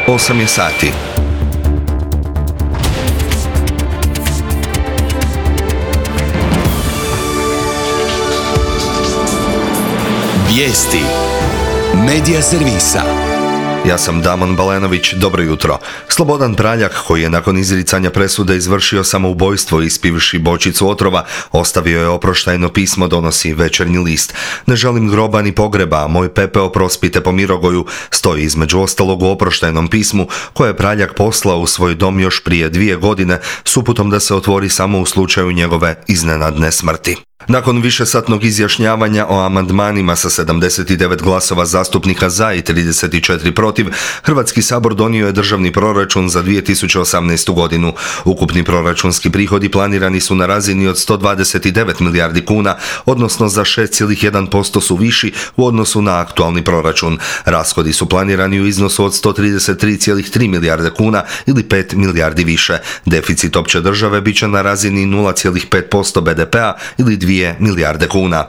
8 je sati. Vijesti Medija servisa. Ja sam Damon Balenović, dobro jutro. Slobodan Praljak, koji je nakon izricanja presude izvršio samoubojstvo ispivši bočicu otrova, ostavio je oproštajno pismo, donosi Večernji list. Ne želim groba ni pogreba, moj pepeo prospite po Mirogoju, stoji između ostalog u oproštajnom pismu koje je Praljak poslao u svoj dom još prije 2 godine s uputom da se otvori samo u slučaju njegove iznenadne smrti. Nakon višesatnog izjašnjavanja o amandmanima sa 79 glasova zastupnika za i 34 protiv, Hrvatski sabor donio je državni proračun za 2018. godinu. Ukupni proračunski prihodi planirani su na razini od 129 milijardi kuna, odnosno za 6,1% su viši u odnosu na aktualni proračun. Rashodi su planirani u iznosu od 133,3 milijarde kuna ili 5 milijardi više. Deficit opće države bit će na razini 0,5% BDP-a ili 2 milijarde kuna.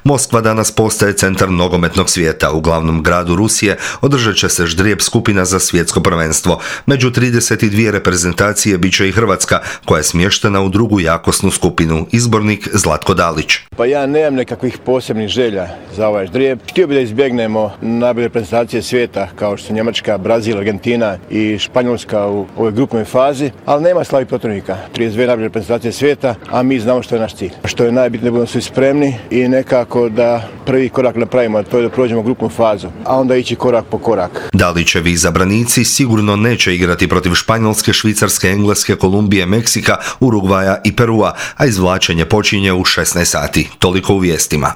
Moskva danas postaje centar nogometnog svijeta. U glavnom gradu Rusije održat će se ždrijeb skupina za svjetsko prvenstvo. Među 32 reprezentacije bit će i Hrvatska, koja je smještena u drugu jakosnu skupinu. Izbornik Zlatko Dalić. Pa ja nemam nekakvih posebnih želja za ovaj ždrijeb. Htio bih da izbjegnemo najbolje reprezentacije svijeta kao što su Njemačka, Brazil, Argentina i Španjolska u ovoj grupnoj fazi, ali nema slabih protivnika. 32 najbolje reprezentacije svijeta, a mi znamo što je naš cilj. Što je najbitnije, budemo svi spremni i nekako da prvi korak napravimo, a to je da prođemo grupnu fazu, a onda ići korak po korak. Dalićevi izabranici sigurno neće igrati protiv Španjolske, Švicarske, Engleske, Kolumbije, Meksika, Urugvaja i Perua, a izvlačenje počinje u 16 sati. Toliko u vijestima.